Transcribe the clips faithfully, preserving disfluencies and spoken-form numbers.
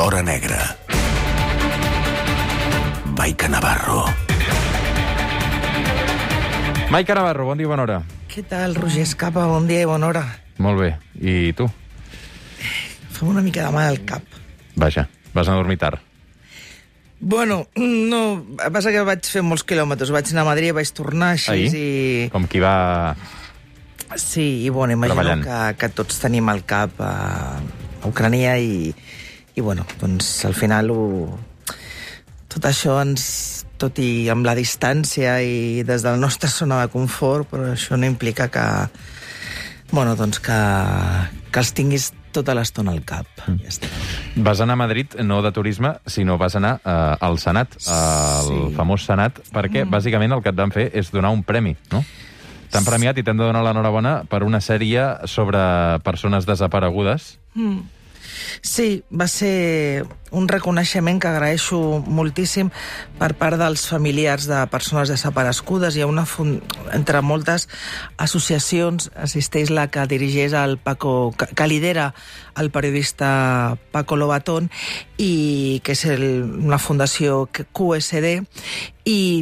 l'hora negra. Maica Navarro. Maica Navarro, bon dia i bona hora. Què tal, Roger Escapa? Bon dia i bona hora. Molt bé. I tu? Fem una mica de mal al cap. Vaja, vas a dormir tard. Bueno, no, passa que vaig fer molts quilòmetres. Vaig anar a Madrid, vaig tornar així Ahir? i... Com qui va... Sí, i bueno, imagino que, que tots tenim el cap a, a Ucrània i, i bueno, doncs al final ho... tot això ens... tot i amb la distància i des de la nostra zona de confort, però això no implica que... Bueno, doncs que, que els tinguis tota l'estona al cap. Mm. Ja està. Vas anar a Madrid, no de turisme, sinó vas anar eh, al Senat, al sí. famós Senat, perquè mm. bàsicament el que et van fer és donar un premi, no? T'han premiat i t'han de donar l'enhorabona per una sèrie sobre persones desaparegudes. Mm. Sí, va ser un reconeixement que agraeixo moltíssim per part dels familiars de persones desaparegudes. Hi ha una fund... entre moltes associacions assisteix la que dirigeix el Paco, que lidera el periodista Paco Lobatón, i que és el, una fundació Q S D, i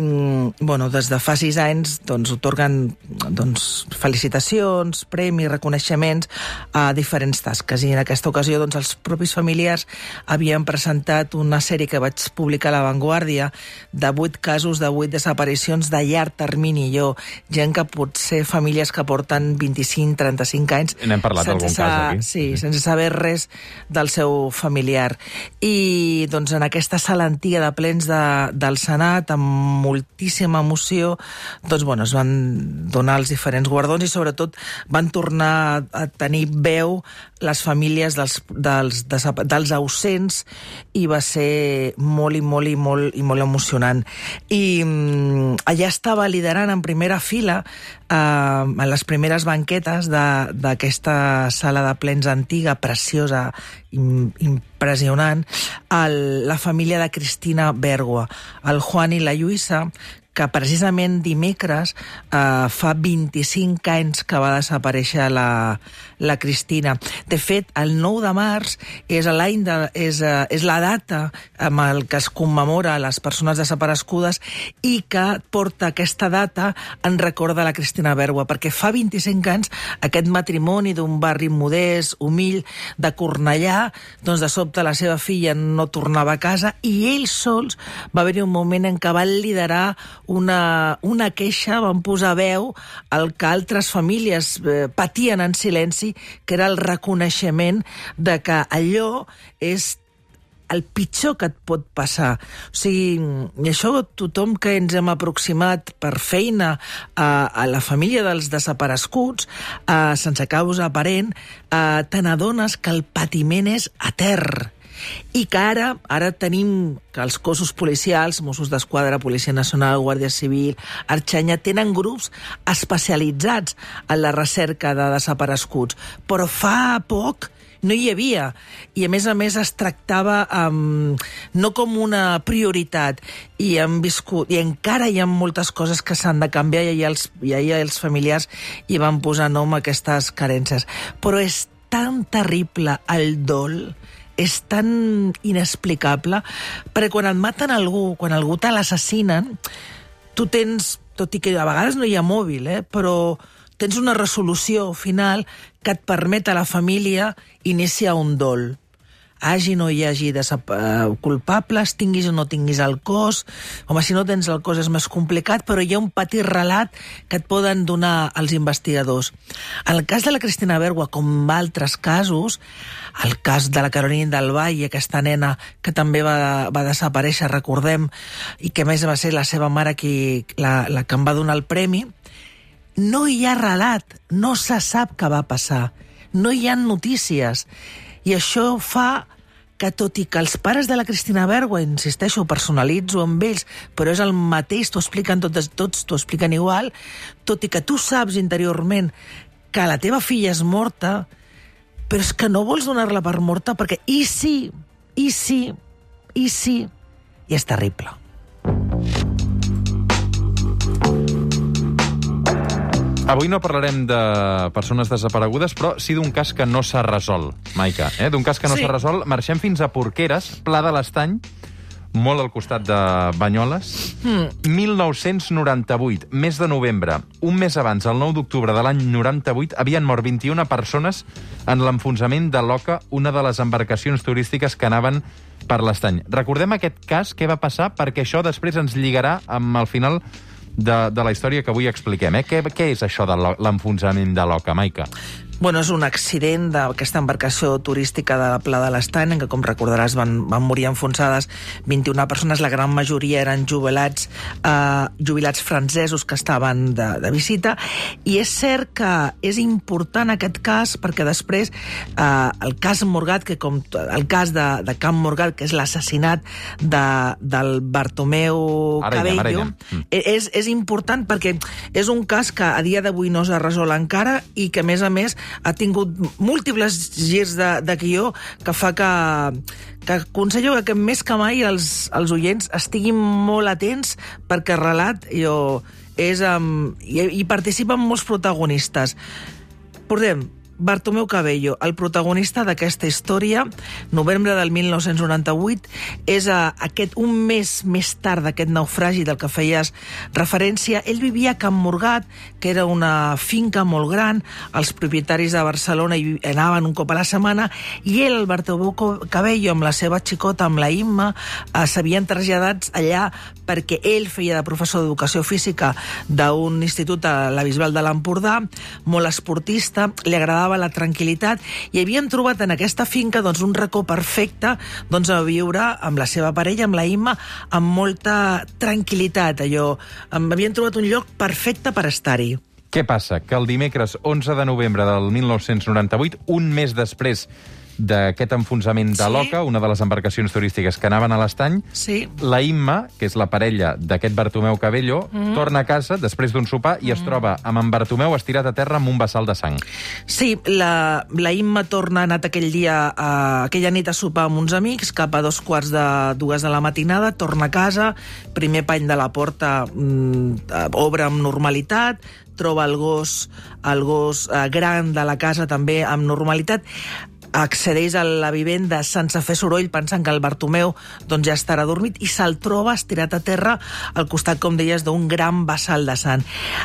bueno, des de fa sis anys doncs, otorguen doncs, felicitacions, premis, reconeixements a diferents tasques. I en aquesta ocasió doncs, els propis familiars havien presentat una sèrie que vaig publicar a La Vanguardia de vuit casos de vuit desaparicions de llarg termini. Jo, gent que pot ser famílies que porten vint-i-cinc a trenta-cinc anys n'hem parlat d'algun cas aquí. Sí, sense saber res del seu familiar. I doncs en aquesta sala antiga de plens de, del Senat, amb moltíssima emoció, doncs bueno, es van donar els diferents guardons i sobretot van tornar a tenir veu les famílies dels, dels, dels ausents, i va ser molt i molt i molt, i molt emocionant. I um, allà estava liderant en primera fila uh, a les primeres banquetes d'aquesta sala de plens antiga, preciosa, im, impressionant, el, la família de Cristina Bergua, el Juan i la Lluïsa, que precisament dimecres eh, fa vint-i-cinc anys que va desaparèixer la, la Cristina. De fet, el nou de març és l'any de, és, és la data amb el que es commemora les persones desaparegudes i que porta aquesta data en record de la Cristina Bergua, perquè fa vint-i-cinc anys aquest matrimoni d'un barri modest, humil, de Cornellà, doncs de sobte la seva filla no tornava a casa i ells sols va haver-hi un moment en què van liderar Una, una queixa, van posar veu al que altres famílies eh, patien en silenci, que era el reconeixement de que allò és el pitjor que et pot passar. O sigui, i això tothom que ens hem aproximat per feina a, a la família dels desapareguts, eh, sense causa aparent, eh, te n'adones que el patiment és etern. I que ara, ara tenim que els cossos policials, Mossos d'Esquadra, Policia Nacional, Guàrdia Civil, Arxanya, tenen grups especialitzats en la recerca de desapareguts. Però fa poc no hi havia. I a més a més es tractava um, no com una prioritat. I hem viscut, i encara hi ha moltes coses que s'han de canviar, i ahir els, i ahir els familiars hi van posar nom a aquestes carències. Però és tan terrible el dol, és tan inexplicable, perquè quan et maten algú, quan algú te l'assassinen, tu tens, tot i que a vegades no hi ha mòbil, eh, però tens una resolució final que et permet a la família iniciar un dol. Hagi o no hi hagi culpables, tinguis o no tinguis el cos. Home, si no tens el cos és més complicat, però hi ha un petit relat que et poden donar els investigadors. En el cas de la Cristina Bergua, com altres casos, el cas de la Carolina del Valle, aquesta nena que també va, va desaparèixer, recordem, i que més va ser la seva mare qui, la, la que em va donar el premi, no hi ha relat, no se sap què va passar, no hi ha notícies. I això fa que, tot i que els pares de la Cristina Bergua, insisteixo, personalitzo amb ells, però és el mateix, t'ho expliquen tots, tots t'ho expliquen igual, tot i que tu saps interiorment que la teva filla és morta, però és que no vols donar-la per morta perquè i sí, i sí, i sí, i és terrible. Avui no parlarem de persones desaparegudes, però sí d'un cas que no s'ha resolt, Maica. Eh? D'un cas que no Sí. s'ha resolt. Marxem fins a Porqueres, Pla de l'Estany, molt al costat de Banyoles. Mm. mil nou-cents noranta-vuit, mes de novembre. Un mes abans, el nou d'octubre de l'any noranta-vuit, havien mort vint-i-una persones en l'enfonsament de l'Oca, una de les embarcacions turístiques que anaven per l'Estany. Recordem aquest cas, què va passar, perquè això després ens lligarà amb el final de, de la història que avui expliquem. Eh? Què, què és això de l'enfonsament de l'Oca, Maica? Bueno, és un accident d'aquesta embarcació turística de la Pla de l'Estany, en què, com recordaràs, van, van morir enfonsades vint-i-una persones, la gran majoria eren jubilats, eh, jubilats francesos que estaven de, de visita, i és cert que és important aquest cas perquè després eh, el cas Morgat, que com el cas de, de Camp Morgat, que és l'assassinat de, del Bartomeu Ara Cabello, ella, ara ella. és, és important perquè és un cas que a dia d'avui no s'ha resolt encara i que, a més a més, ha tingut múltiples girs de, de guió que fa que, que aconsello que més que mai els, els oients estiguin molt atents perquè el relat jo, és, um, hi, hi participen molts protagonistes. Portem Bartomeu Cabello, el protagonista d'aquesta història, novembre del mil nou-cents noranta-vuit, és a, aquest, un mes més tard d'aquest naufragi del que feies referència. Ell vivia a Camp Morgat, que era una finca molt gran, els propietaris de Barcelona hi anaven un cop a la setmana, i ell, el Bartomeu Cabello, amb la seva xicota, amb la Imma, eh, s'havien traslladats allà perquè ell feia de professor d'educació física d'un institut a la Bisbal de l'Empordà, molt esportista, li agradava la tranquil·litat, i havien trobat en aquesta finca doncs, un racó perfecte doncs, a viure amb la seva parella, amb la Imma, amb molta tranquil·litat. Allò, havien trobat un lloc perfecte per estar-hi. Què passa? Que el dimecres onze de novembre del mil nou-cents noranta-vuit, un mes després d'aquest enfonsament de Sí. l'Oca, una de les embarcacions turístiques que anaven a l'Estany, Sí. la Imma, que és la parella d'aquest Bartomeu Cabello, mm. torna a casa després d'un sopar i es troba amb en Bartomeu estirat a terra amb un vessal de sang. Sí, la, la Imma torna, ha anat aquell dia, a, aquella nit a sopar amb uns amics, cap a dos quarts de dues de la matinada, torna a casa, primer pany de la porta, mm, obre amb normalitat, troba el gos, el gos eh, gran de la casa també amb normalitat, accedeix a la vivenda sense fer soroll, pensant que el Bartomeu doncs, ja estarà dormit, i se'l troba estirat a terra al costat, com deies, d'un gran vessal de sang.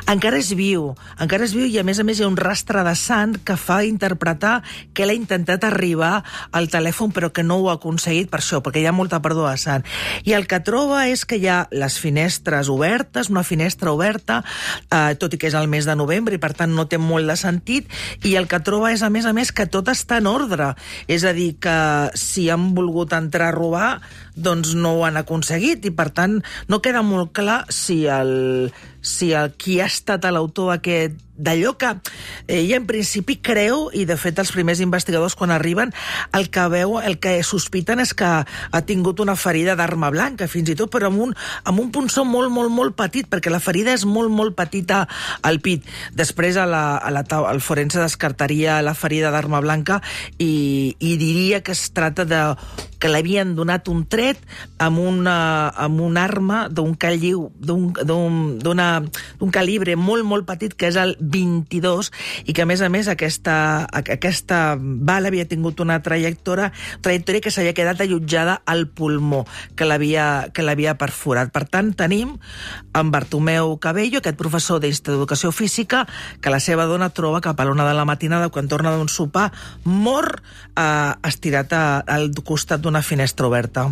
Encara és viu, encara és viu i a més a més hi ha un rastre de sang que fa interpretar que ell ha intentat arribar al telèfon però que no ho ha aconseguit per això, perquè hi ha molta pèrdua de sang. I el que troba és que hi ha les finestres obertes, una finestra oberta, eh, tot i que és el mes de novembre i per tant no té molt de sentit, i el que troba és a més a més que tot està en ordre. És a dir, que si han volgut entrar a robar, doncs no ho han aconseguit, i per tant no queda molt clar si el, si el qui ha estat l'autor aquest d'allò que ella en principi creu, i de fet els primers investigadors quan arriben el que veu, el que sospiten és que ha tingut una ferida d'arma blanca fins i tot, però amb un, amb un punçó molt, molt, molt petit, perquè la ferida és molt, molt petita al pit. Després a la, a la, el forense descartaria la ferida d'arma blanca i, i diria que es tracta de que l'havien donat un tret amb una, amb una arma d'un caliu, d'un, d'un, d'un calibre molt, molt petit, que és el vint-i-dos, i que, a més a més, aquesta, aquesta bala havia tingut una trajectòria, trajectòria que s'havia quedat allotjada al pulmó, que l'havia que l'havia perforat. Per tant, tenim en Bartomeu Cabello, aquest professor d'Institut d'Educació Física, que la seva dona troba cap a l'una de la matinada, quan torna d'un sopar, mort, eh, estirat a, al costat d'una finestra oberta.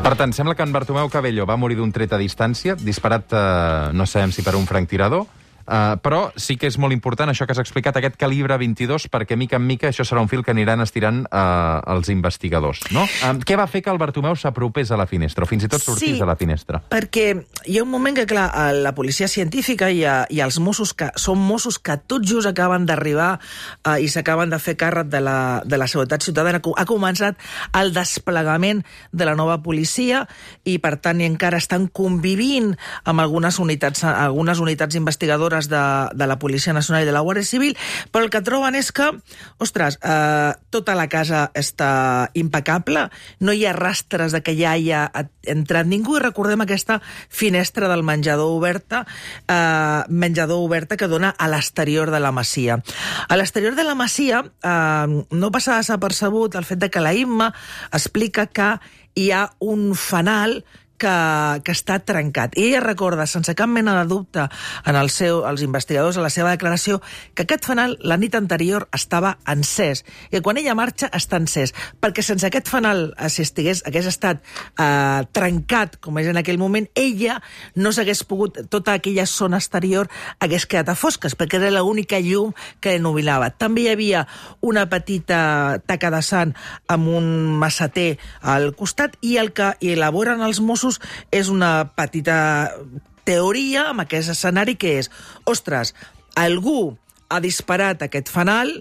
Per tant, sembla que en Bartomeu Cabello va morir d'un tret a distància, disparat, eh, no sabem si per un franctirador, Uh, però sí que és molt important això que has explicat, aquest calibre vint-i-dos, perquè mica en mica això serà un fil que aniran estirant uh, els investigadors, no? Uh, què va fer que el Bartomeu s'apropés a la finestra, o fins i tot sortís sí, a la finestra? Perquè hi ha un moment que, clar, la policia científica i, a, i els Mossos, que són Mossos que tot just acaben d'arribar uh, i s'acaben de fer càrrec de la, de la seguretat ciutadana, ha començat el desplegament de la nova policia i, per tant, encara estan convivint amb algunes unitats, algunes unitats investigadores l'abast de, de la Policia Nacional i de la Guàrdia Civil, però el que troben és que, ostres, eh, tota la casa està impecable, no hi ha rastres de que ja hi ha entrat ningú, i recordem aquesta finestra del menjador oberta, eh, menjador oberta que dona a l'exterior de la masia. A l'exterior de la masia eh, no passa desapercebut el fet de que la Imma explica que hi ha un fanal que, que està trencat. I ella recorda, sense cap mena de dubte, en el seu, els investigadors, a la seva declaració, que aquest fanal la nit anterior estava encès, i que quan ella marxa està encès, perquè sense aquest fanal, si estigués, hagués estat eh, trencat, com és en aquell moment, ella no s'hagués pogut, tota aquella zona exterior hagués quedat a fosques, perquè era l'única llum que ennubilava. També hi havia una petita taca de sang amb un masseter al costat, i el que elaboren els Mossos és una petita teoria amb aquest escenari, que és, ostres, algú ha disparat aquest fanal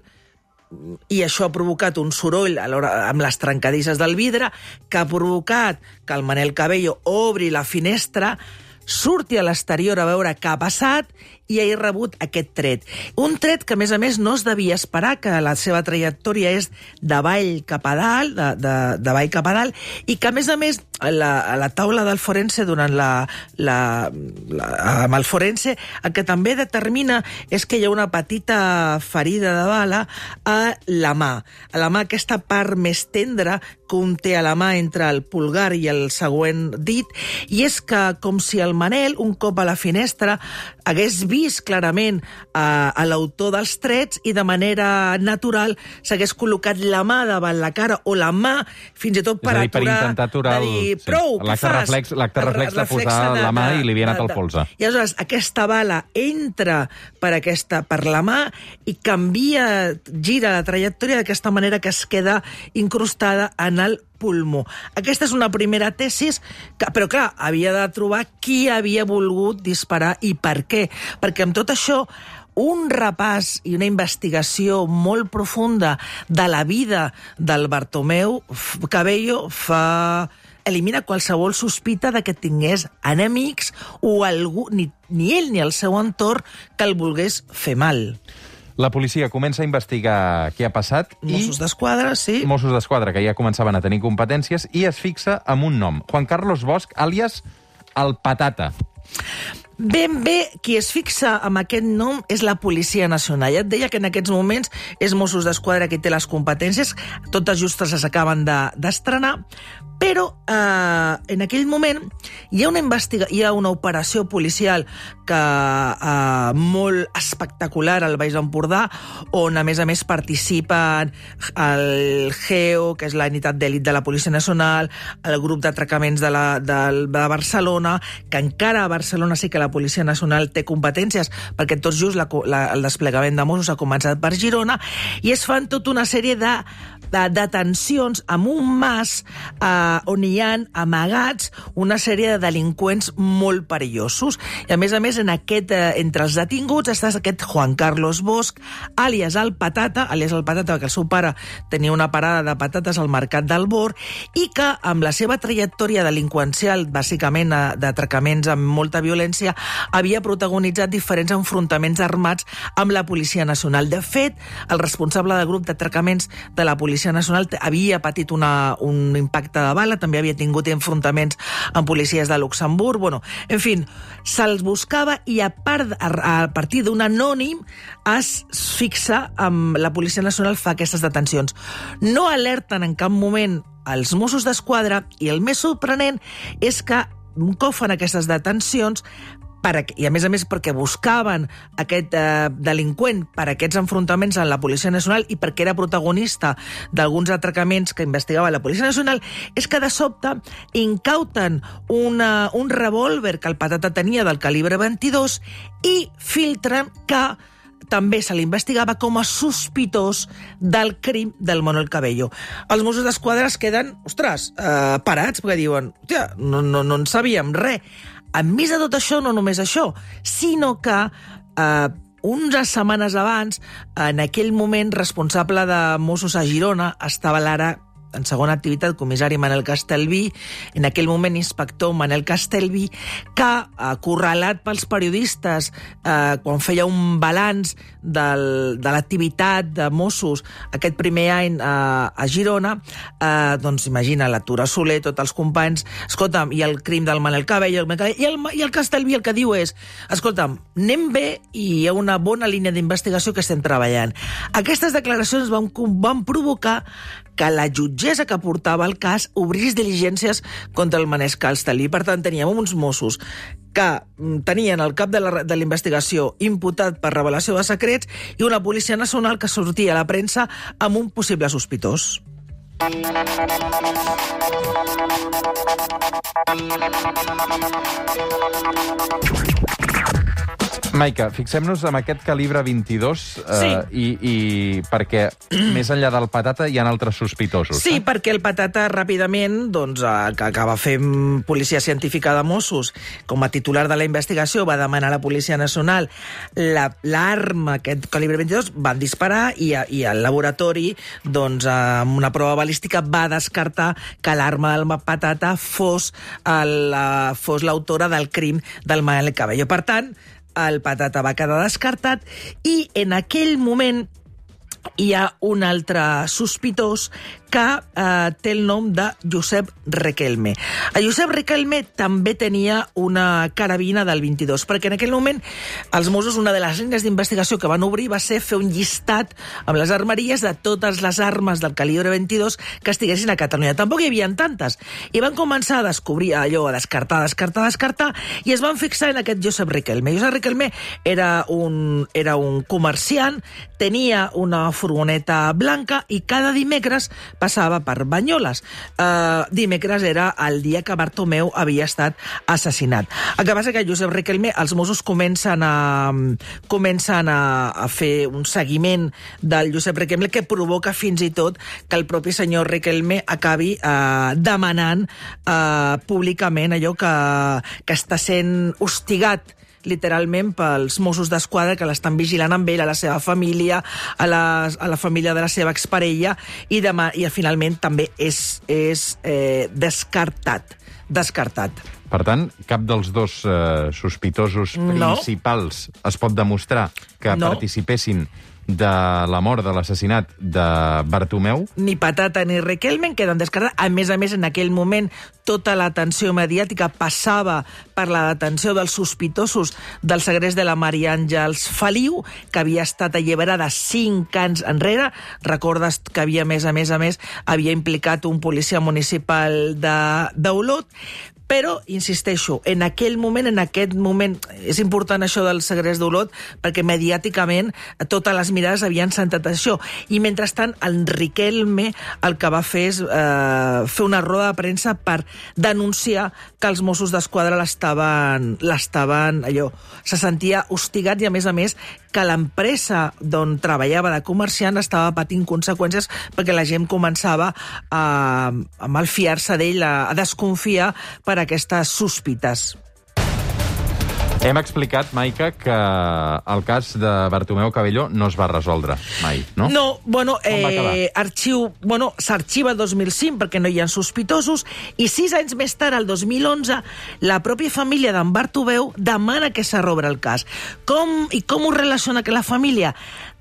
i això ha provocat un soroll a l'hora, amb les trencadisses del vidre, que ha provocat que el Manel Cabello obri la finestra, surti a l'exterior a veure què ha passat i ha rebut aquest tret. Un tret que, a més a més, no es devia esperar, que la seva trajectòria és d'avall cap a dalt, de, de, d'avall cap a dalt, i que, a més a més, a la, a la taula del forense, durant la, la, la, amb el forense, el que també determina és que hi ha una petita ferida de bala a la mà. A la mà, aquesta part més tendra que un té a la mà entre el pulgar i el següent dit, i és que, com si el Manel, un cop a la finestra, hagués vist clarament a, a l'autor dels trets i de manera natural s'hagués col·locat la mà davant la cara o la mà fins i tot per dir, aturar, per intentar aturar el, dir, prou, sí, què fas? Reflex, l'acte reflex de posar de, la mà de, i li havia anat al polze. I aleshores aquesta bala entra per, aquesta, per la mà i canvia, gira la trajectòria d'aquesta manera que es queda incrustada en el pulmó. Aquesta és una primera tesis, que, però clar, havia de trobar qui havia volgut disparar i per què. Perquè amb tot això, un repàs i una investigació molt profunda de la vida del Bartomeu Cabello fa... elimina qualsevol sospita de que tingués enemics o algú, ni, ni ell ni el seu entorn, que el volgués fer mal. La policia comença a investigar què ha passat. Mossos d'Esquadra, sí. Mossos d'Esquadra, que ja començaven a tenir competències, i es fixa en un nom. Juan Carlos Bosch, àlies el Patata. Ben bé, qui es fixa en aquest nom és la Policia Nacional. Ja et deia que en aquests moments és Mossos d'Esquadra qui té les competències, totes justes s'acaben d'estrenar, però eh, en aquell moment hi ha una investiga hi ha una operació policial que eh, molt espectacular al Baix Empordà, on a més a més participen el G E O, que és la unitat d'èlit de la Policia Nacional, el grup d'atracaments de, la, de, de Barcelona, que encara a Barcelona sí que la Policia Nacional té competències, perquè tot just la, la, el desplegament de Mossos ha començat per Girona, i es fan tota una sèrie de, de detencions amb un mas eh, on hi ha amagats una sèrie de delinqüents molt perillosos. I a més a més, en aquest, eh, entre els detinguts està aquest Juan Carlos Bosch, àlies el Patata, àlies el Patata, perquè el seu pare tenia una parada de patates al mercat del Bor, i que amb la seva trajectòria delinqüencial, bàsicament d'atracaments amb molta violència, havia protagonitzat diferents enfrontaments armats amb la Policia Nacional. De fet, el responsable del grup d'atracaments de la Policia Nacional havia patit una, un impacte de bala, també havia tingut enfrontaments amb policies de Luxemburg, bueno, en fi, se'ls buscava, i a, part, a, a partir d'un anònim es fixa amb la Policia Nacional, fa aquestes detencions. No alerten en cap moment els Mossos d'Esquadra, i el més sorprenent és que un cop fan aquestes detencions, per, i a més a més perquè buscaven aquest eh, delinqüent per aquests enfrontaments amb la Policia Nacional i perquè era protagonista d'alguns atracaments que investigava la Policia Nacional, és que de sobte incauten una, un revòlver que el Patata tenia del calibre vint-i-dos i filtren que també se l'investigava com a sospitós del crim del Manel Cabello. Els Mossos d'Esquadra es queden, ostres, eh, parats, perquè diuen, hòstia, no, no, no en sabíem res. A més de tot això, no només això, sinó que eh, unes setmanes abans, en aquell moment responsable de Mossos a Girona, estava l'ara en segona activitat, comissari Manel Castelví, en aquell moment inspector Manel Castelví, que, acorralat pels periodistes, eh, quan feia un balanç del, de l'activitat de Mossos aquest primer any eh, a Girona, eh, doncs imagina la Tura Soler, tots els companys, escolta'm, i el crim del Manel Cabello, i el, i el Castelví el que diu és, escolta'm, anem bé i hi ha una bona línia d'investigació que estem treballant. Aquestes declaracions van, van provocar que la jutgessa que portava el cas obrís diligències contra el Manel Castelví. Per tant, teníem uns Mossos que tenien el cap de la, de la investigació imputat per revelació de secrets i una policia nacional que sortia a la premsa amb un possible sospitós. Maica, fixem-nos en aquest calibre vint-i-dos, eh, sí. i, i perquè més enllà del Patata hi ha altres sospitosos. Sí, eh? perquè el Patata ràpidament, doncs, eh, que acaba fent policia científica de Mossos, com a titular de la investigació, va demanar a la Policia Nacional l'arma, aquest calibre vint-i-dos, van disparar i, i el laboratori, doncs, amb una prova balística, va descartar que l'arma del Patata fos l'autora del crim del Manel Cabello. Per tant, el Patata va quedar descartat i en aquell moment hi ha un altre sospitós que eh, té el nom de Josep Riquelme. A Josep Riquelme també tenia una carabina del vint-i-dos, perquè en aquell moment els Mossos, una de les línies d'investigació que van obrir va ser fer un llistat amb les armeries de totes les armes del calibre vint-i-dos que estiguessin a Catalunya. Tampoc hi havia tantes. I van començar a descobrir allò, a descartar, descartar, descartar, i es van fixar en aquest Josep Riquelme. Josep Riquelme era un, era un comerciant, tenia una furgoneta blanca i cada dimecres passava per Banyoles. Uh, dimecres era el dia que Bartomeu havia estat assassinat. El que passa que Josep Riquelme, els Mossos comencen a, comencen a, a fer un seguiment del Josep Riquelme que provoca fins i tot que el propi senyor Riquelme acabi uh, demanant uh, públicament allò que, que està sent hostigat literalment pels Mossos d'Esquadra que l'estan vigilant amb ell, a la seva família, a la, a la família de la seva exparella, i, demà, i finalment també és, és eh, descartat. Descartat. Per tant, cap dels dos eh, sospitosos no. principals es pot demostrar que no. participessin de la mort, de l'assassinat de Bartomeu. Ni Patata ni Riquelme queden descartats. A més a més, en aquell moment, tota l'atenció mediàtica passava per la detenció dels sospitosos del segrest de la Maria Àngels Feliu, que havia estat alliberada cinc anys enrere. Recordes que havia, a més a més a més, havia implicat un policia municipal d'Olot. Però, insisteixo, en aquell moment, en aquest moment, és important això del segrest d'Olot, perquè mediàticament totes les mirades havien centrat això. I mentrestant, el Riquelme el que va fer és eh, fer una roda de premsa per denunciar que els Mossos d'Esquadra l'estaven, l'estaven, allò, se sentia hostigat i, a més a més, que l'empresa d'on treballava de comerciant estava patint conseqüències perquè la gent començava a, a malfiar-se d'ell, a, a desconfiar per aquestes sospites. Hem explicat, Maica, que el cas de Bartomeu Cabello no es va resoldre mai, no? No, bueno, eh, arxiu, bueno, s'arxiva el dos mil cinc perquè no hi ha sospitosos i sis anys més tard, el dos mil onze, la pròpia família d'en Bartomeu demana que s'arrobre el cas. Com, I com ho relaciona que la família?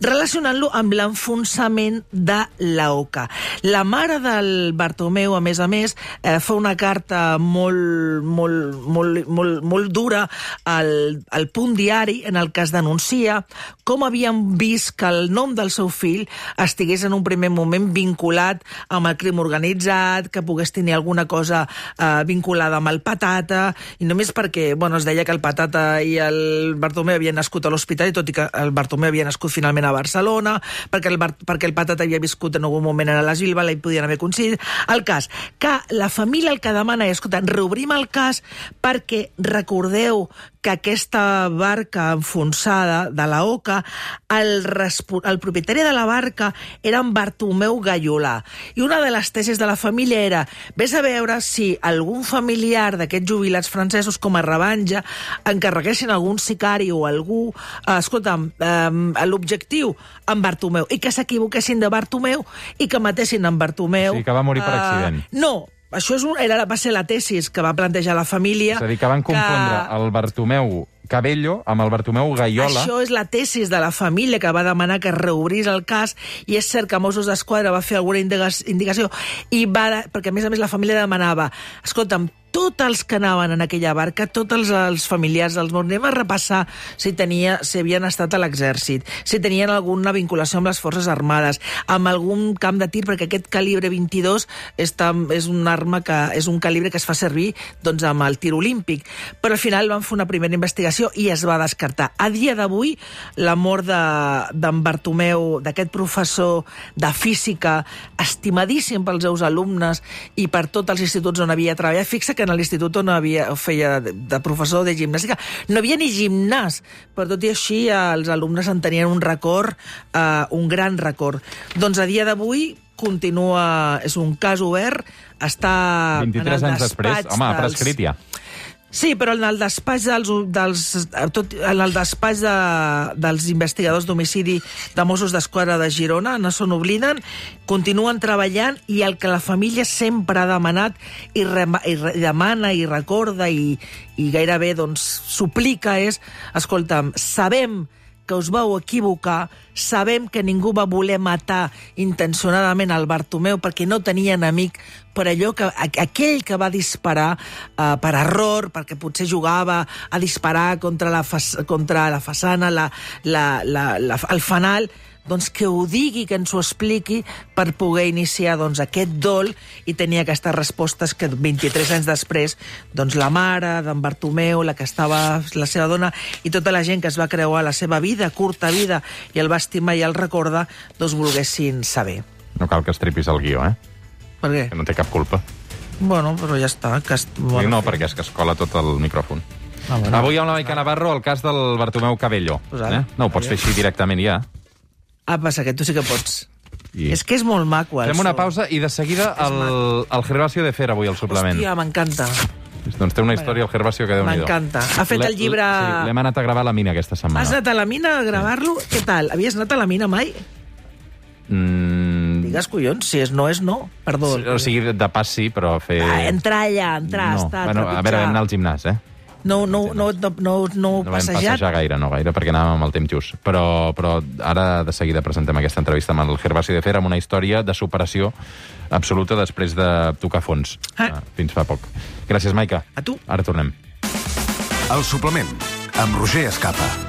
Relacionant-lo amb l'enfonsament de l'Oca. La mare del Bartomeu, a més a més, eh, fa una carta molt, molt, molt, molt, molt dura al al Punt Diari, en el que es denuncia com havien vist que el nom del seu fill estigués en un primer moment vinculat amb el crim organitzat, que pogués tenir alguna cosa eh, vinculada amb el Patata, i només perquè, bueno, es deia que el Patata i el Bartomeu havien nascut a l'hospital, i tot i que el Bartomeu havia nascut finalment a Barcelona, perquè el, Bar perquè el Patata havia viscut en algun moment a les Bilbao, i podien haver coincidit. El cas, que la família el que demana és, escolta, reobrim el cas perquè recordeu que aquesta barca enfonsada de la Oca, el, el propietari de la barca era en Bartomeu Gaiolà. I una de les tesis de la família era vés a veure si algun familiar d'aquests jubilats francesos com a revenja encarreguessin algun sicari o algú, eh, escolta'm, eh, l'objectiu en Bartomeu, i que s'equivoquessin de Bartomeu i que matessin en Bartomeu. Sí, que va morir per accident. Uh, no, això és un, era, va ser la tesis que va plantejar la família. És a dir, que van confondre que... el Bartomeu Cabello amb el Bartomeu Gaiola. Això és la tesis de la família que va demanar que reobrís el cas, i és cert que Mossos d'Esquadra va fer alguna indicació, i va, perquè a més a més la família demanava, escolta'm, tots els que anaven en aquella barca, tots els, els familiars dels morts, anem a repassar si, tenia, si havien estat a l'exèrcit, si tenien alguna vinculació amb les forces armades, amb algun camp de tir, perquè aquest calibre vint-i-dos és, tam, és un arma que és un calibre que es fa servir doncs, amb el tir olímpic. Però al final van fer una primera investigació i es va descartar. A dia d'avui, la mort d'en de, Bartomeu, d'aquest professor de física, estimadíssim pels seus alumnes i per tots els instituts on havia treballat, fixa que en l'institut on havia, feia de, de professor de gimnàstica no havia ni gimnàs, però tot i així els alumnes en tenien un record, eh, un gran record. Doncs a dia d'avui continua, és un cas obert, està vint-i-tres anys després, home, ha prescrit ja. Sí, però en el despatx dels, dels, tot, en el despatx de, dels investigadors d'homicidi de Mossos d'Esquadra de Girona no se n'obliden, continuen treballant, i el que la família sempre ha demanat i, re, i re, demana i recorda i, i gairebé doncs, suplica és, escolta'm, sabem que us vau equivocar, sabem que ningú va voler matar intencionadament el Bartomeu perquè no tenia enemic, per allò que aquell que va disparar eh, per error, perquè potser jugava a disparar contra la, fa, contra la façana, la, la, la, la, el fanal, doncs que ho digui, que ens ho expliqui per poder iniciar doncs, aquest dol i tenir aquestes respostes que vint-i-tres anys després doncs, la mare d'en Bartomeu, la que estava la seva dona i tota la gent que es va creuar la seva vida, curta vida, i el va estimar i el recorda, doncs volguessin saber. No cal que estripis el guió, eh? Per què? Que no té cap culpa. Bueno, però ja està. Que est... bueno, no, perquè és que es cola tot el micròfon. Ah, bueno. Avui amb la Maica Navarro el cas del Bartomeu Cabello. Pues ara, eh? No ho pots fer així directament ja. Ah, passa que tu sí que pots. I... És que és molt maco. Fem una pausa i de seguida el, el Gervasio de Fer avui al suplement. Hòstia, m'encanta. Doncs té una història el Gervasio que déu-n'hi-do. M'encanta. Ha fet el llibre... Sí, l'hem anat a gravar a la mina aquesta setmana. Has anat a la mina a gravar-lo? Sí. Què tal? Havies anat a la mina mai? Mm... Digues, collons, si és no és no. Perdó. Sí, o sigui, de pas sí, però fer... Ah, entrar allà, entrar, no. estar, bueno, trepitjar. A veure, vam anar al gimnàs, eh? No, no, no, no, no, no, no passejat? vam passejar gaire, no gaire, perquè anàvem amb el temps just. Però, però ara de seguida presentem aquesta entrevista amb el Gervasio de Fer, amb una història de superació absoluta després de tocar fons. Ah. Fins fa poc. Gràcies, Maica. A tu. Ara tornem. El suplement, amb Roger Escapa.